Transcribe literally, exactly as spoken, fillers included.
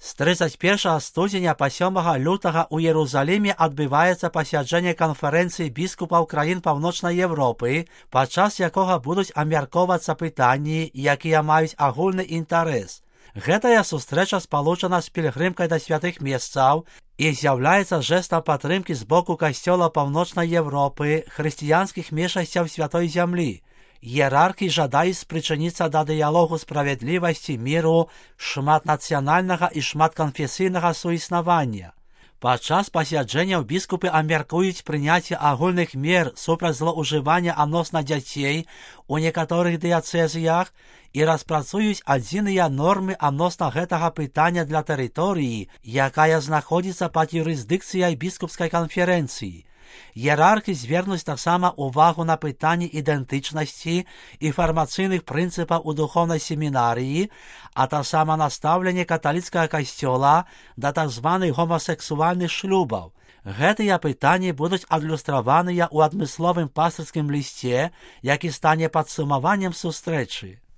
З тридцять першага студзеня па сёмага лютага ў Єрусаліме адбываецца пасяджэнне канферэнцыі біскупаў краін Паўночнай Европы, падчас якога будуць абмяркоўвацца пытанні, якія маюць агульны інтарэс. Гэтая сустрэча спалучана з пілігрымкай да святых месцаў і з'яўляецца жэстам падтрымкі з боку касцёла Паўночнай Европы, хрысціянскіх меншасцяў святой зямлі. Іерархі жадаюць спрычыніцца да дыялогу справядлівасці, міру, шматнацыянальнага і шматканфесійнага суіснавання. Падчас пасяджэнняў біскупы абмяркуюць прыняцце агульных мер супраць злоўжывання адносна дзяцей у некаторых дыяцэзіях і распрацуюць адзіныя нормы адносна гэтага пытання для тэрыторыі, якая знаходзіцца пад юрысдыкцыяй біскупскай канферэнцыі. Іерархі звернуць таксама ўвагу на пытанні ідэнтычнасці і фармацыйных прынцыпаў у духоўнай семінарыі, а таксама на стаўленне каталіцкага касцёла да так званых гомасексуальных шлюбаў. Гэтыя пытанні будуць адлюстраваныя ў адмысловым пастырскім лісце, які стане падсумаваннем сустрэчы.